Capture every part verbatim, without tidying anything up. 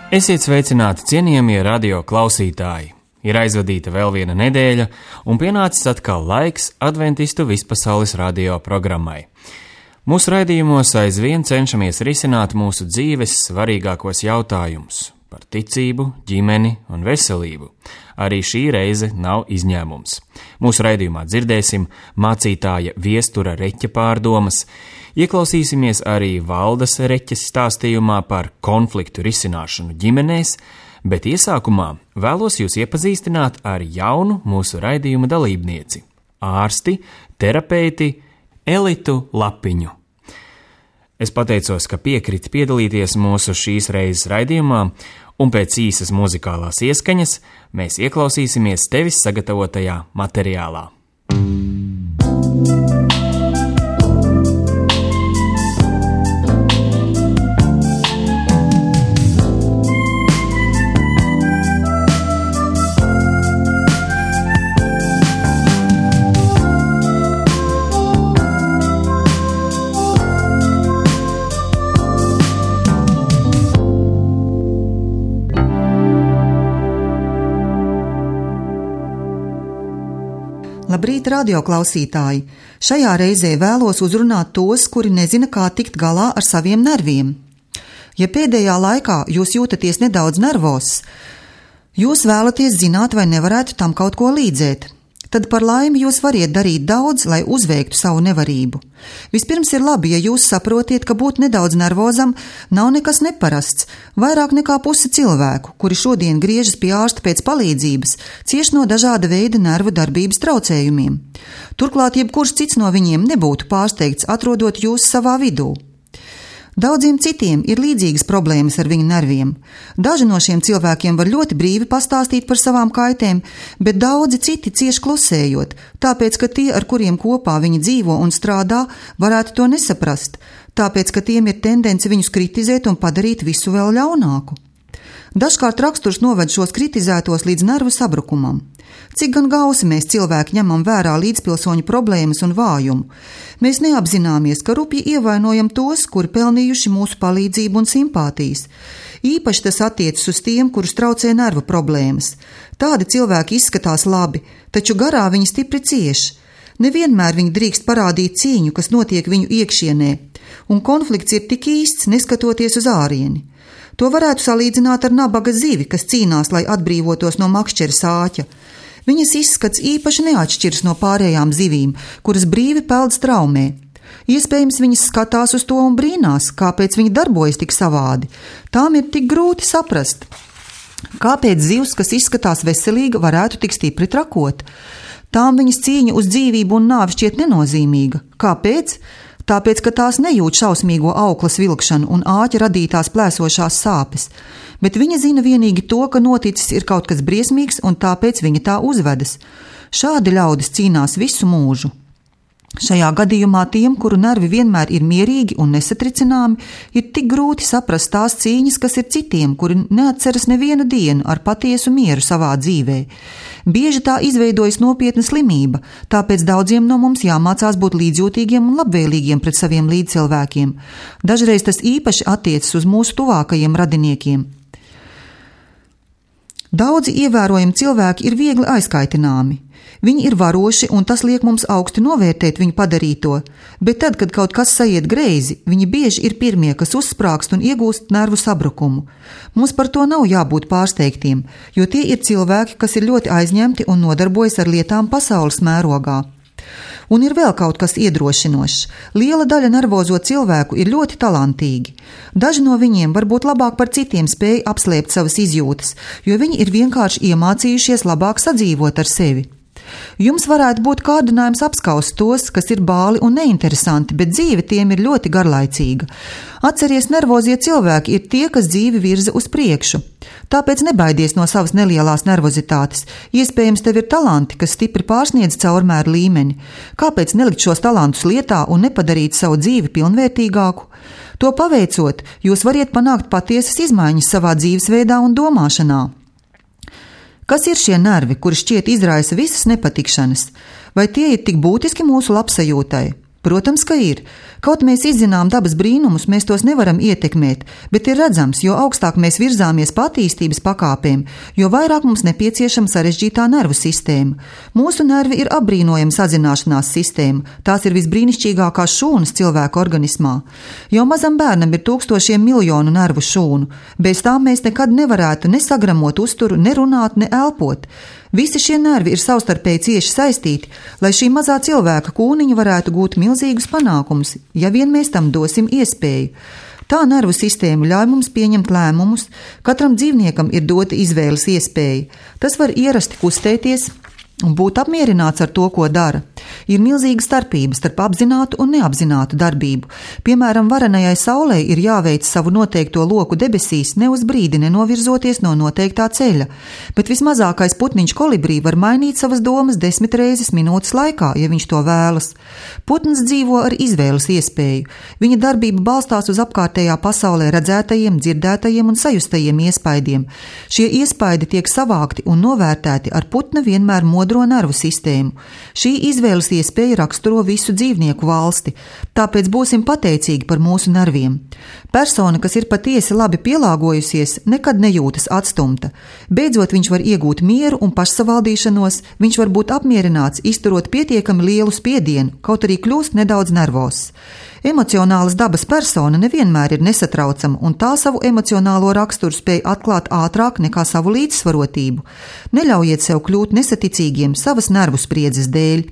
Esiet sveicināti, cienījamie radio klausītāji! Ir aizvadīta vēl viena nedēļa, un pienācis atkal laiks Adventistu vispasaules radio programmai. Mūsu raidījumos aizvien cenšamies risināt mūsu dzīves svarīgākos jautājumus par ticību, ģimeni un veselību. Arī šī reize nav izņēmums. Mūsu raidījumā dzirdēsim mācītāja Viestura Reķa pārdomas, ieklausīsimies arī Valdas Reķes stāstījumā par konfliktu risināšanu ģimenēs, bet iesākumā vēlos jūs iepazīstināt ar jaunu mūsu raidījuma dalībnieci – ārsti, terapeiti Elitu Lapiņu. Es pateicos, ka piekriti piedalīties mūsu šīs reizes raidījumā, un pēc īsas muzikālās ieskaņas mēs ieklausīsimies tevis sagatavotajā materiālā. Labrīt, radioklausītāji! Šajā reizē vēlos uzrunāt tos, kuri nezina, kā tikt galā ar saviem nerviem. Ja pēdējā laikā jūs jūtaties nedaudz nervos, jūs vēlaties zināt, vai nevarētu tam kaut ko līdzēt, tad par laimi jūs variet darīt daudz, lai uzveiktu savu nevarību. Vispirms ir labi, ja jūs saprotiet, ka būt nedaudz nervozam nav nekas neparasts, vairāk nekā pusi cilvēku, kuri šodien griežas pie ārsta pēc palīdzības, cieš no dažāda veida nervu darbības traucējumiem. Turklāt jebkurš cits no viņiem nebūtu pārsteigts, atrodot jūs savā vidū. Daudziem citiem ir līdzīgas problēmas ar viņu nerviem. Daži no šiem cilvēkiem var ļoti brīvi pastāstīt par savām kaitēm, bet daudzi citi cieš klusējot, tāpēc, ka tie, ar kuriem kopā viņi dzīvo un strādā, varētu to nesaprast, tāpēc, ka tiem ir tendence viņus kritizēt un padarīt visu vēl ļaunāku. Dažkārt raksturs noved šos kritizētos līdz nervu sabrukumam. Cik gan gausi mēs cilvēki ņemam vērā līdzpilsoņu problēmas un vājumu. Mēs neapzināmies, ka rupji ievainojam tos, kuri pelnījuši mūsu palīdzību un simpātijas. Īpaši tas attiecas uz tiem, kurus traucē nervu problēmas. Tādi cilvēki izskatās labi, taču garā viņi stipri cieš. Nevienmēr viņi drīkst parādīt cīņu, kas notiek viņu iekšienē, un konflikts ir tik īsts, neskatoties uz ārieni. To varētu salīdzināt ar nabaga zivi, kas cīnās, lai atbrīvotos no makšķera sāķa. Viņas izskats īpaši neatšķiras no pārējām zivīm, kuras brīvi peld straumē. Iespējams, viņas skatās uz to un brīnās, kāpēc viņi darbojas tik savādi. Tām ir tik grūti saprast, kāpēc zivs, kas izskatās veselīga, varētu tik stipri trakot. Tām viņas cīņa uz dzīvību un nāvi šķiet nenozīmīga. Kāpēc? Tāpēc, ka tās nejūt šausmīgo auklas vilkšanu un āķa radītās plēsošās sāpes, bet viņa zina vienīgi to, ka noticis ir kaut kas briesmīgs un tāpēc viņa tā uzvedas. Šādi ļaudis cīnās visu mūžu. Šajā gadījumā tiem, kuru nervi vienmēr ir mierīgi un nesatricināmi, ir tik grūti saprast tās cīņas, kas ir citiem, kuri neatceras nevienu dienu ar patiesu mieru savā dzīvē. Bieži tā izveidojas nopietna slimība, tāpēc daudziem no mums jāmācās būt līdzjūtīgiem un labvēlīgiem pret saviem līdzcilvēkiem. Dažreiz tas īpaši attiecas uz mūsu tuvākajiem radiniekiem. Daudzi ievērojami cilvēki ir viegli aizkaitināmi. Viņi ir varoši, un tas liek mums augsti novērtēt viņu padarīto, bet tad, kad kaut kas saiet greizi, viņi bieži ir pirmie, kas uzsprāgst un iegūst nervu sabrukumu. Mums par to nav jābūt pārsteigtiem, jo tie ir cilvēki, kas ir ļoti aizņemti un nodarbojas ar lietām pasaules mērogā. Un ir vēl kaut kas iedrošinošs. Liela daļa nervozo cilvēku ir ļoti talantīgi. Daži no viņiem varbūt labāk par citiem spēj apslēpt savas izjūtas, jo viņi ir vienkārši iemācījušies labāk sadzīvot ar sevi. Jums varētu būt kārdinājums apskaust tos, kas ir bāli un neinteresanti, bet dzīve tiem ir ļoti garlaicīga. Atceries, nervozie cilvēki ir tie, kas dzīvi virza uz priekšu. Tāpēc nebaidies no savas nelielās nervozitātes. Iespējams, tev ir talanti, kas stipri pārsniedz caurmēru līmeni. Kāpēc nelikt šos talantus lietā un nepadarīt savu dzīvi pilnvērtīgāku? To paveicot, jūs variet panākt patiesas izmaiņas savā dzīvesveidā un domāšanā. Kas ir šie nervi, kuri šķiet izraisa visas nepatikšanas? Vai tie ir tik būtiski mūsu labsajūtai? Protams, ka ir. Kaut mēs izzinām dabas brīnumus, mēs tos nevaram ietekmēt, bet ir redzams, jo augstāk mēs virzāmies pa attīstības pakāpēm, jo vairāk mums nepieciešama sarežģītā nervu sistēma. Mūsu nervi ir apbrīnojama sazināšanās sistēma, tās ir visbrīnišķīgākās šūnas cilvēka organismā. Jau mazam bērnam ir tūkstošiem miljonu nervu šūnu, bez tām mēs nekad nevarētu ne sagramot uzturu, ne runāt, ne elpot. Visi šie nervi ir savstarpēji cieši saistīti, lai šī mazā cilvēka kūniņa varētu gūt milzīgus panākumus, ja vien mēs tam dosim iespēju. Tā nervu sistēma ļauj mums pieņemt lēmumus, katram dzīvniekam ir dota izvēles iespēja. Tas var ierasti kustēties un būt apmierināts ar to, ko dara. Ir milzīga starpība starp apzinātu un neapzinātu darbību. Piemēram, varenajai saulei ir jāveic savu noteikto loku debesīs, ne uz brīdi nenovirzoties no noteiktā ceļa, bet vismazākais putniņš kolibrī var mainīt savas domas desmit reizes minūtes laikā, ja viņš to vēlas. Putns dzīvo ar izvēles iespēju. Viņa darbība balstās uz apkārtējā pasaulē redzētajiem, dzirdētajiem un sajustajiem iespaidiem. Šie iespaidi tiek savākti un novērtēti ar putna vienmēr modro nervu sistēmu. Šī izvēles iespēja raksturo visu dzīvnieku valsti, tāpēc būsim pateicīgi par mūsu nerviem. Persona, kas ir patiesi labi pielāgojusies, nekad nejūtas atstumta. Beidzot viņš var iegūt mieru un pašsavaldīšanos, viņš var būt apmierināts, izturot pietiekami lielu spiedienu, kaut arī kļūst nedaudz nervozs. Emocionālas dabas persona nevienmēr ir nesatraucama, un tā savu emocionālo raksturu spēj atklāt ātrāk nekā savu līdzsvarotību. Neļaujiet sev kļūt nesaticīgiem savas nervu spriedzes dēļ.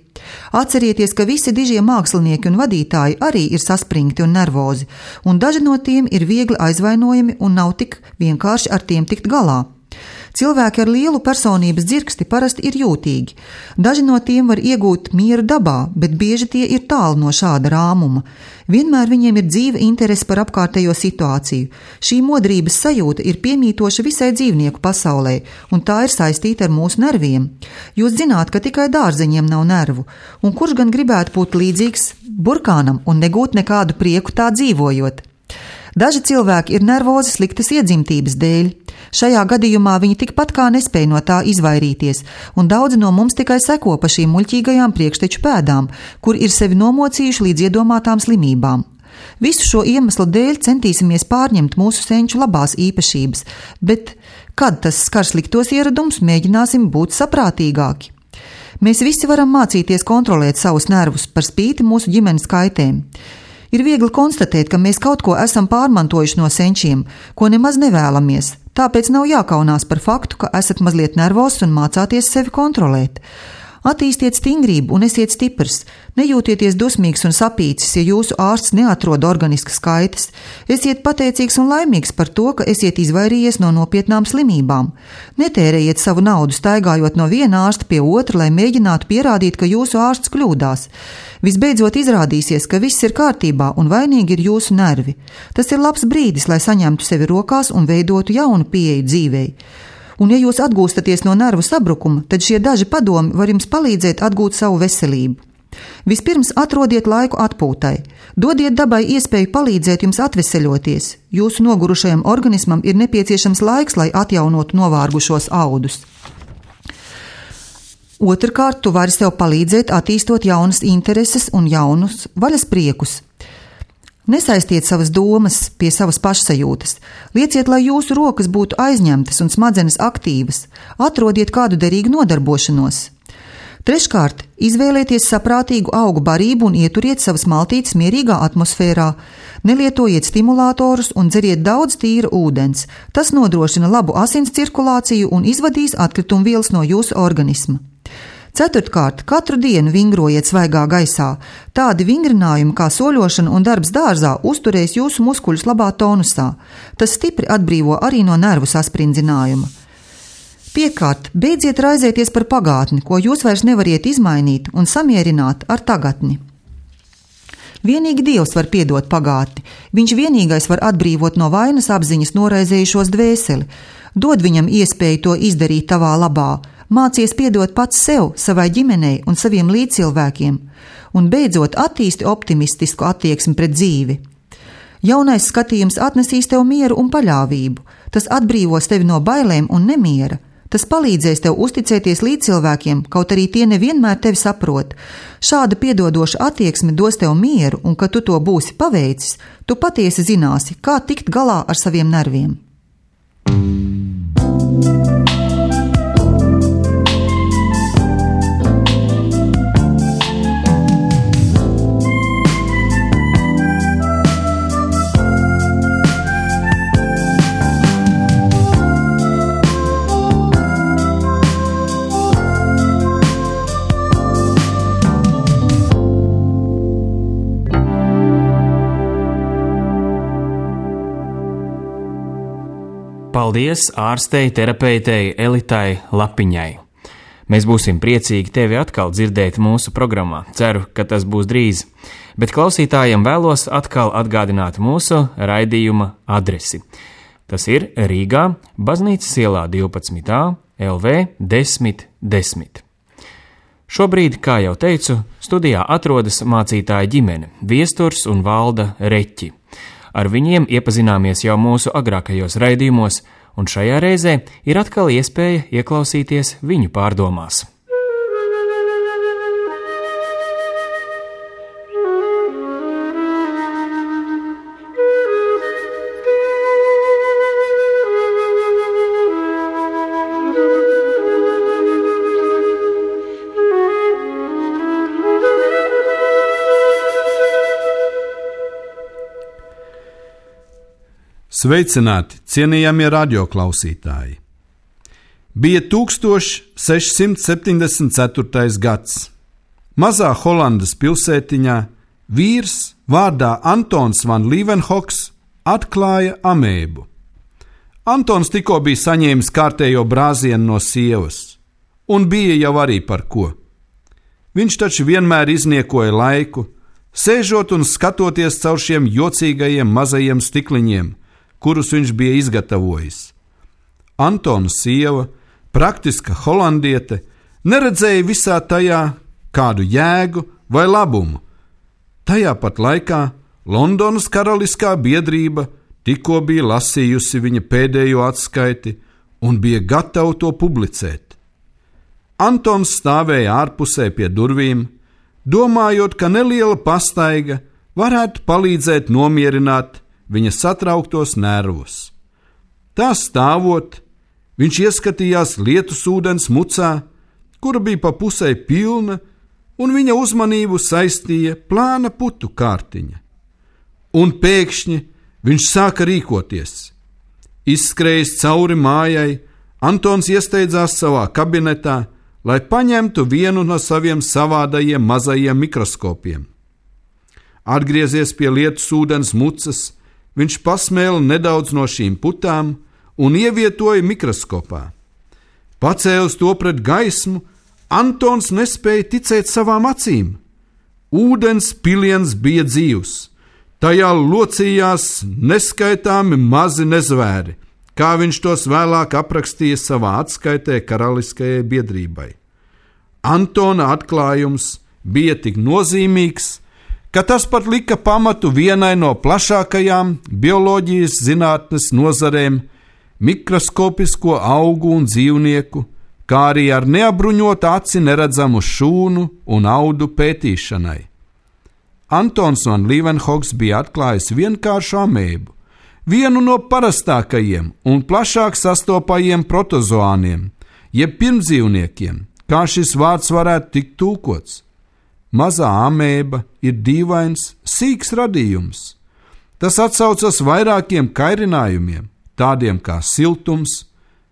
Atcerieties, ka visi dižie mākslinieki un vadītāji arī ir saspringti un nervozi, un daži no tiem ir viegli aizvainojami un nav tik vienkārši ar tiem tikt galā. Cilvēki ar lielu personības dzirksti parasti ir jūtīgi. Daži no tiem var iegūt mieru dabā, bet bieži tie ir tālu no šāda rāmuma. Vienmēr viņiem ir dzīva interese par apkārtējo situāciju. Šī modrības sajūta ir piemītoša visai dzīvnieku pasaulē, un tā ir saistīta ar mūsu nerviem. Jūs zināt, ka tikai dārzeņiem nav nervu, un kurš gan gribētu būt līdzīgs burkānam un negūt nekādu prieku tā dzīvojot? Daži cilvēki ir nervozi sliktas iedzimtības dēļ. Šajā gadījumā viņi tikpat kā nespēj no tā izvairīties, un daudzi no mums tikai seko pa šīm muļķīgajām priekšteču pēdām, kur ir sevi nomocījuši līdz iedomātām slimībām. Visu šo iemeslu dēļ centīsimies pārņemt mūsu senču labās īpašības, bet, kad tas skar sliktos ieradumus, mēģināsim būt saprātīgāki. Mēs visi varam mācīties kontrolēt savus nervus par spīti mūsu ģimenes kaitēm. Ir viegli konstatēt, ka mēs kaut ko esam pārmantojuši no senčiem, ko nemaz nevēlamies, tāpēc nav jākaunās par faktu, ka esat mazliet nervozs un mācāties sevi kontrolēt. Attīstiet stingrību un esiet stiprs. Nejūtieties dusmīgs un sapīcis, ja jūsu ārsts neatrod organiskas kaitas. Esiet pateicīgs un laimīgs par to, ka esiet izvairījies no nopietnām slimībām. Netērējiet savu naudu staigājot no viena ārsta pie otra, lai mēģinātu pierādīt, ka jūsu ārsts kļūdās. Visbeidzot izrādīsies, ka viss ir kārtībā un vainīgi ir jūsu nervi. Tas ir labs brīdis, lai saņemtu sevi rokās un veidotu jaunu pieeju dzīvei. Un ja jūs atgūstaties no nervu sabrukuma, tad šie daži padomi var jums palīdzēt atgūt savu veselību. Vispirms atrodiet laiku atpūtai. Dodiet dabai iespēju palīdzēt jums atveseļoties. Jūsu nogurušajam organismam ir nepieciešams laiks, lai atjaunotu novārgušos audus. Otrkārt, tu vari sev palīdzēt attīstot jaunas intereses un jaunus vaļas priekus. Nesaistiet savas domas pie savas pašsajūtas. Lieciet, lai jūsu rokas būtu aizņemtas un smadzenes aktīvas. Atrodiet kādu derīgu nodarbošanos. Treškārt, izvēlieties saprātīgu augu barību un ieturiet savas maltītes mierīgā atmosfērā. Nelietojiet stimulātorus un dzeriet daudz tīra ūdens. Tas nodrošina labu asins cirkulāciju un izvadīs atkritumvielas no jūsu organisma. Ceturtkārt, katru dienu vingrojiet svaigā gaisā. Tādi vingrinājumi kā soļošana un darbs dārzā uzturēs jūsu muskuļus labā tonusā. Tas stipri atbrīvo arī no nervu saspringzinājuma. Piekārt, beidziet raizēties par pagātni, ko jūs vairs nevariet izmainīt un samierināt ar tagadni. Vienīgi Dievs var piedot pagātni. Viņš vienīgais var atbrīvot no vainas apziņas noraizējušos dvēseli. Dod viņam iespēju to izdarīt tavā labā. Mācies piedot pats sev, savai ģimenei un saviem līdzcilvēkiem, un beidzot attīsti optimistisku attieksmi pret dzīvi. Jaunais skatījums atnesīs tev mieru un paļāvību, tas atbrīvos tevi no bailēm un nemiera. Tas palīdzēs tev uzticēties līdzcilvēkiem, kaut arī tie nevienmēr tevi saprot. Šāda piedodoša attieksme dos tev mieru, un kad tu to būsi paveicis, tu patiesi zināsi, kā tikt galā ar saviem nerviem. Paldies ārstei, terapeitei Elitai Lapiņai. Mēs būsim priecīgi tevi atkal dzirdēt mūsu programmā. Ceru, ka tas būs drīz. Bet klausītājiem vēlos atkal atgādināt mūsu raidījuma adresi. Tas ir Rīgā, Baznīcas ielā divpadsmit A, L V desmit desmit. Šobrīd, kā jau teicu, studijā atrodas mācītāja ģimene Viesturs un Valda Reķi. Ar viņiem iepazināmies jau mūsu agrākajos raidījumos, un šajā reizē ir atkal iespēja ieklausīties viņu pārdomās. Sveicināti, cienījamie radioklausītāji! Bija sešstoš septiņdesmit ceturtais gads. Mazā Holandas pilsētiņā vīrs vārdā Antons van Leeuwenhoeks atklāja amēbu. Antons tikko bija saņēmis kārtējo brāzienu no sievas, un bija jau arī par ko. Viņš taču vienmēr izniekoja laiku, sēžot un skatoties caur šiem jocīgajiem mazajiem stikliņiem, kurus viņš bija izgatavojis. Antona sieva, praktiska holandiete, neredzēja visā tajā kādu jēgu vai labumu. Tajā pat laikā Londonas karaliskā biedrība tikko bija lasījusi viņa pēdējo atskaiti un bija gatava to publicēt. Antons stāvēja ārpusē pie durvīm, domājot, ka neliela pastaiga varētu palīdzēt nomierināt viņa satrauktos nervus. Tā stāvot, viņš ieskatījās lietus ūdens mucā, kura bija pa pusei pilna, un viņa uzmanību saistīja plāna putu kārtiņa. Un pēkšņi viņš sāka rīkoties. Izskrējis cauri mājai, Antons iesteidzās savā kabinetā, lai paņemtu vienu no saviem savādajiem mazajiem mikroskopiem. Atgriezies pie lietus ūdens mucas, viņš pasmēla nedaudz no šīm putām un ievietoja mikroskopā. Pacēlis to pret gaismu, Antons nespēja ticēt savām acīm. Ūdens piliens bija dzīvs, tajā locījās neskaitāmi mazi nezvēri, kā viņš tos vēlāk aprakstīja savā atskaitē karaliskajai biedrībai. Antona atklājums bija tik nozīmīgs, ka tas pat lika pamatu vienai no plašākajām bioloģijas zinātnes nozarēm – mikroskopisko augu un dzīvnieku, kā arī ar neapbruņotu aci neredzamu šūnu un audu pētīšanai. Antons van Leeuwenhoeks bija atklājis vienkāršu amēbu, vienu no parastākajiem un plašāk sastopajiem protozoāniem, jeb pirmdzīvniekiem, kā šis vārds varētu tikt tulkots. Mazā amēba ir dīvains, sīks radījums. Tas atsaucas vairākiem kairinājumiem, tādiem kā siltums,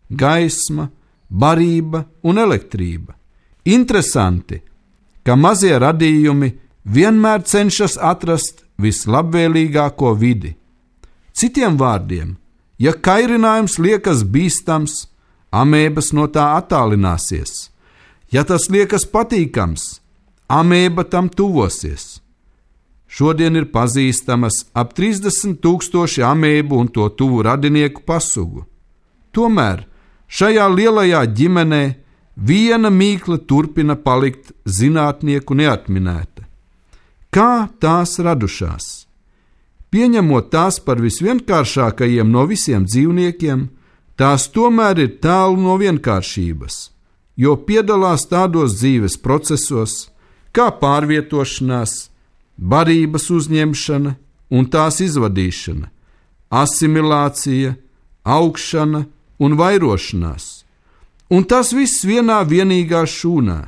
gaisma, barība un elektrība. Interesanti, ka mazie radījumi vienmēr cenšas atrast vislabvēlīgāko vidi. Citiem vārdiem, ja kairinājums liekas bīstams, amēbas no tā attālināsies. Ja tas liekas patīkams, amēba tam tuvosies. Šodien ir pazīstamas ap trīsdesmit tūkstoši amēbu un to tuvu radinieku pasugu. Tomēr šajā lielajā ģimenē viena mīkla turpina palikt zinātnieku neatminēta. Kā tās radušās? Pieņemot tās par visvienkāršākajiem no visiem dzīvniekiem, tās tomēr ir tālu no vienkāršības, jo piedalās tādos dzīves procesos, kā pārvietošanās, barības uzņemšana un tās izvadīšana, asimilācija, augšana un vairošanās. Un tas viss vienā vienīgā šūnā.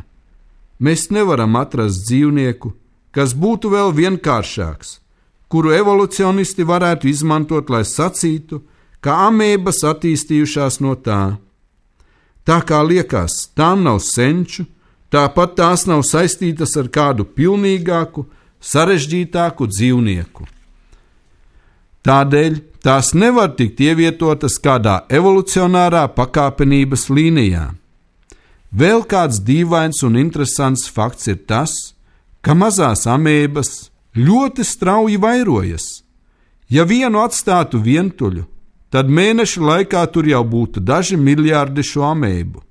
Mēs nevaram atrast dzīvnieku, kas būtu vēl vienkāršāks, kuru evolucionisti varētu izmantot, lai sacītu, ka amēbas attīstījušās no tā. Tā kā liekas, tām nav senču, tāpat tās nav saistītas ar kādu pilnīgāku, sarežģītāku dzīvnieku. Tādēļ tās nevar tikt ievietotas kādā evolucionārā pakāpenības līnijā. Vēl kāds dīvains un interesants fakts ir tas, ka mazās amēbas ļoti strauji vairojas. Ja vienu atstātu vientuļu, tad mēneša laikā tur jau būtu daži miljārdi šo amēbu.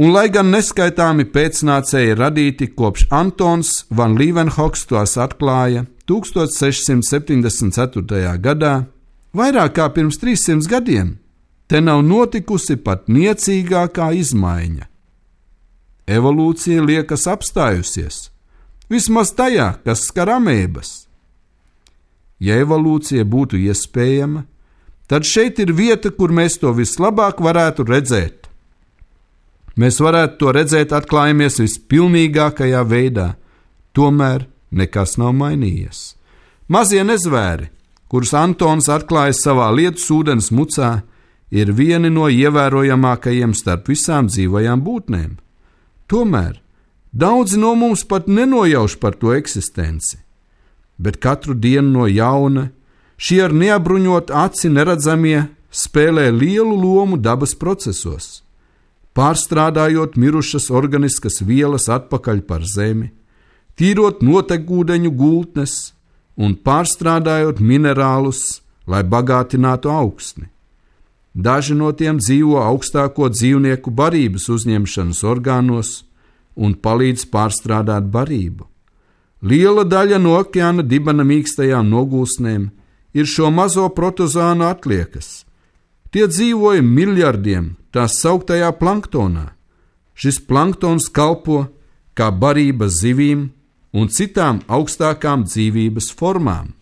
Un lai gan neskaitāmi pēcnācēji radīti kopš Antons van Leeuwenhoeks tos atklāja tūkstoš sešsimt septiņdesmit ceturtajā gadā, vairāk kā pirms trīssimts gadiem, te nav notikusi pat niecīgākā izmaiņa. Evolūcija liekas apstājusies, vismaz tajā, kas skar amēbas. Ja evolūcija būtu iespējama, tad šeit ir vieta, kur mēs to vislabāk varētu redzēt. Mēs varētu to redzēt atklājamies vispilnīgākajā veidā, tomēr nekas nav mainījies. Mazie nezvēri, kurus Antons atklāja savā lietus ūdens mucā, ir vieni no ievērojamākajiem starp visām dzīvajām būtnēm. Tomēr daudzi no mums pat nenojauš par to eksistenci, bet katru dienu no jauna šie ar neapbruņot aci neredzamie spēlē lielu lomu dabas procesos, pārstrādājot mirušas organiskas vielas atpakaļ par zemi, tīrot notekūdeņu gultnes un pārstrādājot minerālus, lai bagātinātu augsni. Daži no tiem dzīvo augstāko dzīvnieku barības uzņemšanas orgānos un palīdz pārstrādāt barību. Liela daļa no okeāna dibena mīkstajām nogulsnēm ir šo mazo protozānu atliekas. Tie dzīvoja miljardiem tā sauktajā planktonā. Šis planktons kalpo kā barība zivīm un citām augstākām dzīvības formām.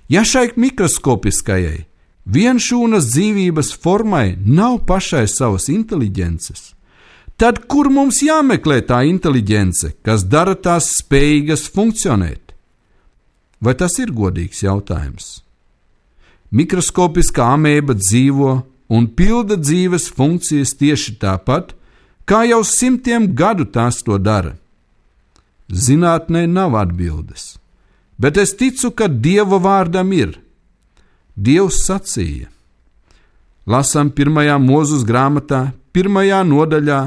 Ja šai mikroskopiskajai, vienšūnas dzīvības formai nav pašai savas inteliģences, tad kur mums jāmeklē tā inteliģence, kas dara tās spējīgas funkcionēt? Vai tas ir godīgs jautājums? Mikroskopiskā amēba dzīvo un pilda dzīves funkcijas tieši tāpat, kā jau simtiem gadu tās to dara. Zinātnē nav atbildes, bet es ticu, ka Dieva vārdam ir. Dievs sacīja. Lasam pirmajā Mūzes grāmatā, pirmajā nodaļā,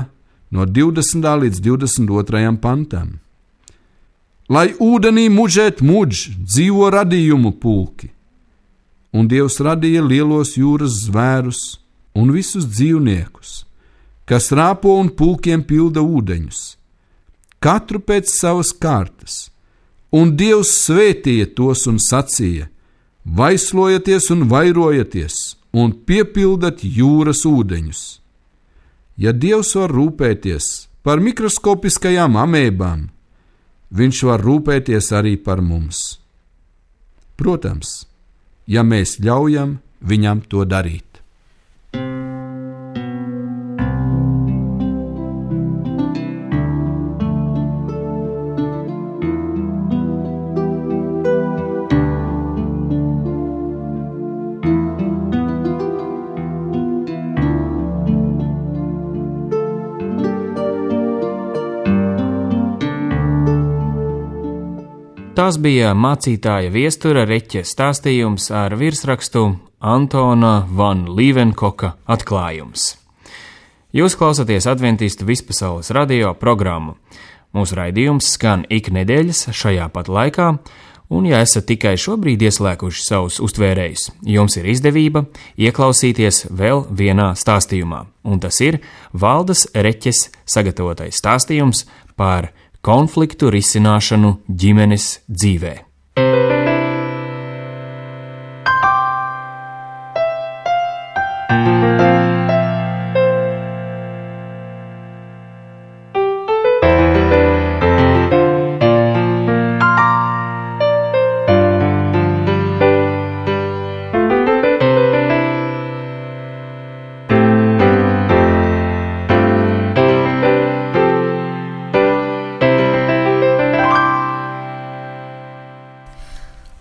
no divdesmitā līdz divdesmit otrajam pantam. Lai ūdenī mužēt muģ, dzīvo radījumu pulki. Un Dievs radīja lielos jūras zvērus un visus dzīvniekus, kas rāpo un pulkiem pilda ūdeņus, katru pēc savas kārtas. Un Dievs svētīja tos un sacīja: vaislojieties un vairojieties un piepildat jūras ūdeņus. Ja Dievs var rūpēties par mikroskopiskajām amēbām, viņš var rūpēties arī par mums. Protams, ja mēs ļaujam viņam to darīt. Tas bija mācītāja Viestura Reķa stāstījums ar virsrakstu Antona van Leeuwenhoeka atklājums. Jūs klausāties Adventistu vispasaules radio programmu. Mūsu raidījums skan ik nedēļas šajā pat laikā, un ja esat tikai šobrīd ieslēguši savus uztvērējus, jums ir izdevība ieklausīties vēl vienā stāstījumā, un tas ir Valdas Reķes sagatavotais stāstījums par konfliktu risināšanu ģimenes dzīvē.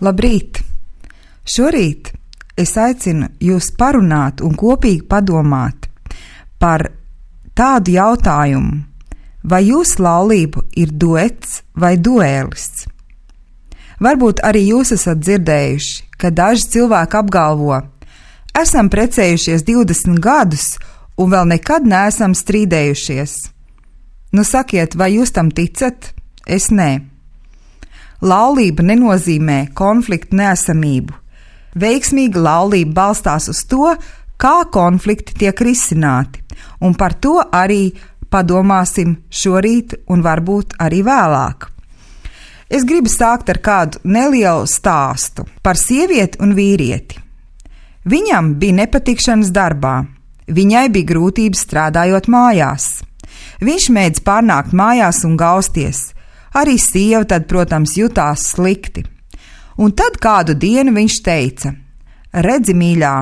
Labrīt! Šorīt es aicinu jūs parunāt un kopīgi padomāt par tādu jautājumu, vai jūsu laulība ir duets vai duēlis. Varbūt arī jūs esat dzirdējuši, ka daži cilvēki apgalvo, esam precējušies divdesmit gadus un vēl nekad neesam strīdējušies. Nu sakiet, vai jūs tam ticat? Es nē. Laulība nenozīmē konfliktu neesamību. Veiksmīga laulība balstās uz to, kā konflikti tiek risināti, un par to arī padomāsim šorīt un varbūt arī vēlāk. Es gribu sākt ar kādu nelielu stāstu par sievieti un vīrieti. Viņam bija nepatikšanas darbā, viņai bija grūtības strādājot mājās. Viņš mēdz pārnākt mājās un gausties. Arī sieva tad, protams, jutās slikti. Un tad kādu dienu viņš teica: redzi, mīļā,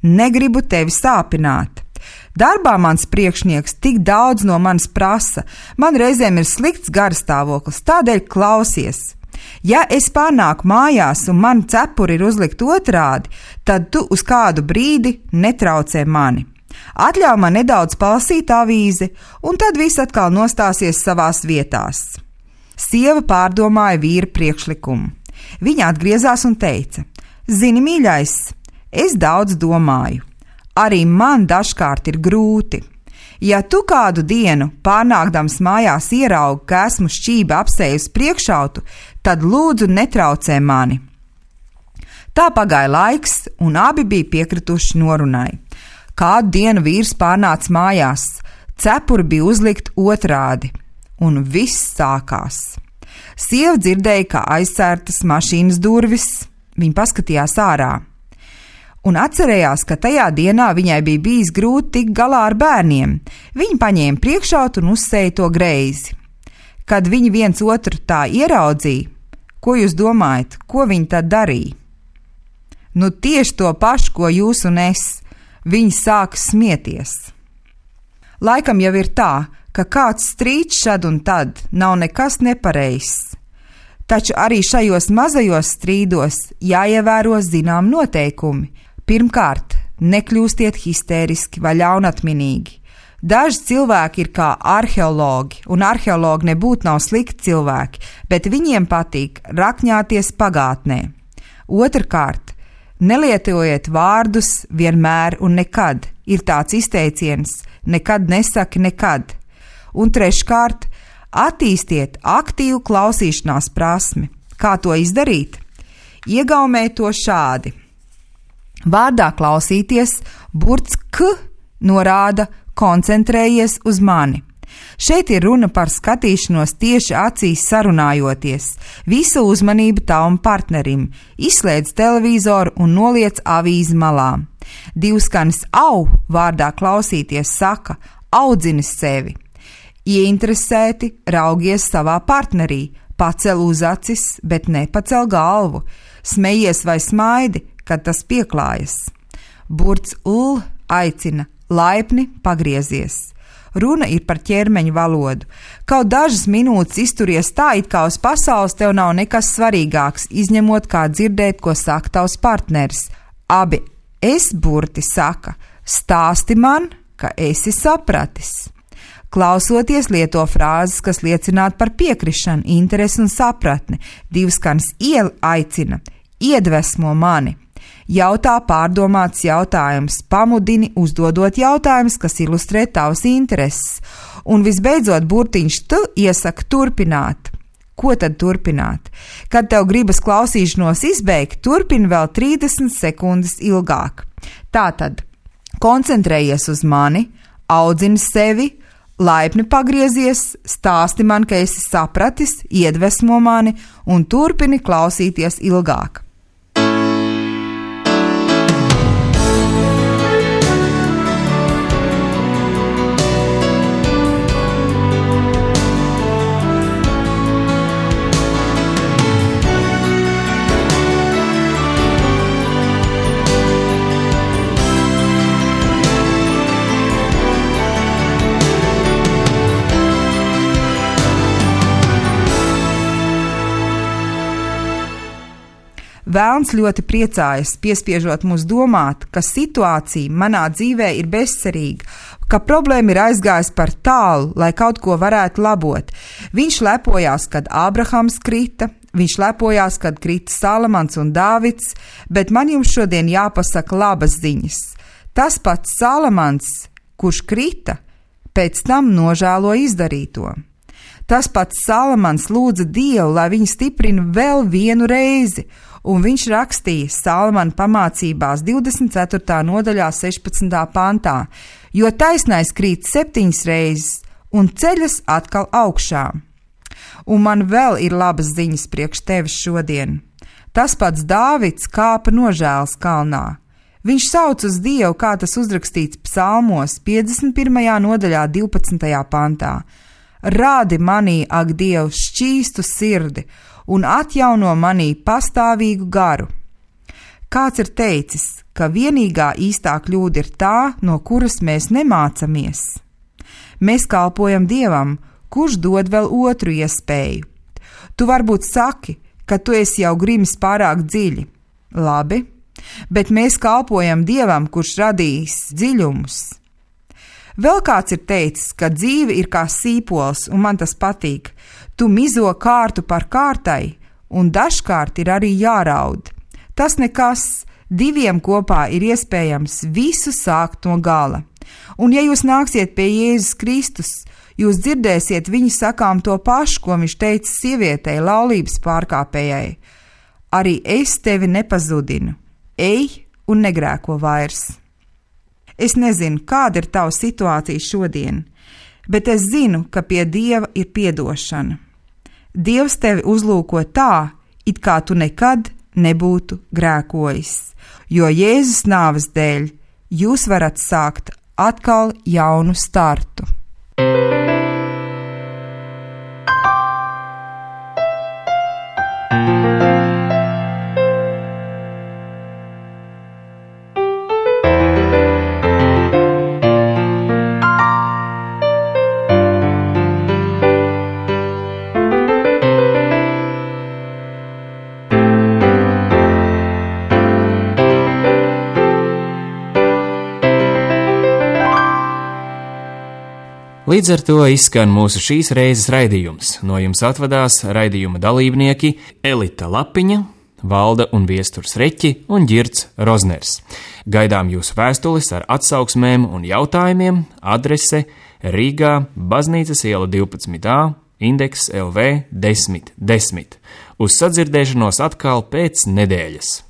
negribu tevi sāpināt. Darbā mans priekšnieks tik daudz no manis prasa, man reizēm ir slikts garstāvoklis, tādēļ klausies. Ja es pārnāku mājās un man cepuri ir uzlikt otrādi, tad tu uz kādu brīdi netraucē mani. Atļauj man nedaudz palasīt avīzi, un tad viss atkal nostāsies savās vietās. Sieva pārdomāja vīra priekšlikumu. Viņa atgriezās un teica: zini, mīļais, es daudz domāju. Arī man dažkārt ir grūti. Ja tu kādu dienu pārnākdams mājās ieraugi, ka esmu šķība apsējusi priekšautu, tad lūdzu netraucē mani. Tā pagāja laiks, un abi bija piekrituši norunai. Kādu dienu vīrs pārnāca mājās, cepuri bija uzlikt otrādi. Un viss sākās. Sieva dzirdēja, kā aizsērtas mašīnas durvis, viņa paskatījās ārā. Un atcerējās, ka tajā dienā viņai bija bijis grūti tikt galā ar bērniem. Viņa paņēma priekšautu un uzsēja to greizi. Kad viņi viens otru tā ieraudzīja, ko jūs domājat, ko viņi tad darīja? Nu tieši to pašu, ko jūs un es. Viņi sāka smieties. Laikam jau ir tā, ka kāds strīds šad un tad nav nekas nepareizs. Taču arī šajos mazajos strīdos jāievēro zinām noteikumi. Pirmkārt, nekļūstiet histēriski vai ļaunatminīgi. Daži cilvēki ir kā arheologi, un arheologi nebūtu nav slikti cilvēki, bet viņiem patīk rakņāties pagātnē. Otrkārt, nelietojiet vārdus vienmēr un nekad. Ir tāds izteiciens: nekad nesaki nekad. Un treškārt, attīstiet aktīvu klausīšanās prasmi. Kā to izdarīt? Iegaumēt to šādi. Vārdā klausīties burts k norāda koncentrējies uz mani. Šeit ir runa par skatīšanos tieši acīs sarunājoties. Visu uzmanību tavam partnerim. Izslēdz televizoru un noliec avīzi malā. Divskanis au vārdā klausīties saka: audzini sevi. Ieinteresēti raugies savā partnerī, pacel uz acis, bet nepacel galvu, smejies vai smaidi, kad tas pieklājas. Burts l aicina: laipni pagriezies. Runa ir par ķermeņa valodu. Kaut dažas minūtes izturies tā, it kā uz pasaules tev nav nekas svarīgāks, izņemot kā dzirdēt, ko saka tavs partneris. Abi es burti saka: stāsti man, ka esi sapratis. Klausoties lieto frāzes, kas liecinātu par piekrišanu, interesi un sapratni. Divskanis iel aicina: iedvesmo mani. Jautā pārdomāts jautājums, pamudini uzdodot jautājumus, kas ilustrē tavas intereses. Un visbeidzot burtiņš tu iesaka turpināt. Ko tad turpināt? Kad tev gribas klausīšanos izbeigt, turpini vēl trīsdesmit sekundes ilgāk. Tātad koncentrējies uz mani, audzini sevi, laipni pagriezies, stāsti man, ka esi sapratis, iedvesmo mani un turpini klausīties ilgāk. Velns ļoti priecājas, piespiežot mūs domāt, ka situācija manā dzīvē ir bezcerīga, ka problēma ir aizgājusi par tālu, lai kaut ko varētu labot. Viņš lepojās, kad Ābrahams krita, viņš lepojās, kad krita Salamans un Dāvids, bet man jums šodien jāpasaka labas ziņas. Tas pats Salamans, kurš krita, pēc tam nožēloja izdarīto. Tas pats Salamans lūdza Dievu, lai viņu stiprina vēl vienu reizi, un viņš rakstīja Salamana pamācībās divdesmit ceturtā nodaļā sešpadsmitā pantā, jo taisnais krīt septiņas reizes un ceļas atkal augšā. Un man vēl ir labas ziņas priekš tevis šodien. Tas pats Dāvids kāpa nožēlas kalnā. Viņš sauc uz Dievu, kā tas uzrakstīts psalmos piecdesmit pirmajā nodaļā divpadsmitajā pantā. Rādi manī, ak, Dievs, šķīstu sirdi un atjauno manī pastāvīgu garu. Kāds ir teicis, ka vienīgā īstā kļūda ir tā, no kuras mēs nemācamies. Mēs kalpojam Dievam, kurš dod vēl otru iespēju. Tu varbūt saki, ka tu esi jau grimis pārāk dziļi. Labi, bet mēs kalpojam Dievam, kurš radījis dziļumus. Vēl kāds ir teicis, ka dzīve ir kā sīpols, un man tas patīk. Tu mizo kārtu par kārtai, un dažkārt ir arī jāraud. Tas nekas, diviem kopā ir iespējams visu sākt no gala. Un ja jūs nāksiet pie Jēzus Kristus, jūs dzirdēsiet viņa sakām to pašu, ko viņš teica sievietei, laulības pārkāpējai. Arī es tevi nepazudinu, ej un negrēko vairs. Es nezinu, kāda ir tava situācija šodien, bet es zinu, ka pie Dieva ir piedošana. Dievs tevi uzlūko tā, it kā tu nekad nebūtu grēkojis, jo Jēzus nāves dēļ jūs varat sākt atkal jaunu startu. Līdz ar to izskan mūsu šīs reizes raidījums. No jums atvadās raidījuma dalībnieki Elita Lapiņa, Valda un Viesturs Reķi un Ģirds Rozners. Gaidām jūsu vēstules ar atsauksmēm un jautājumiem, adrese Rīgā, Baznīcas iela divpadsmit A, indeks L V desmit desmit. Uz sadzirdēšanos atkal pēc nedēļas.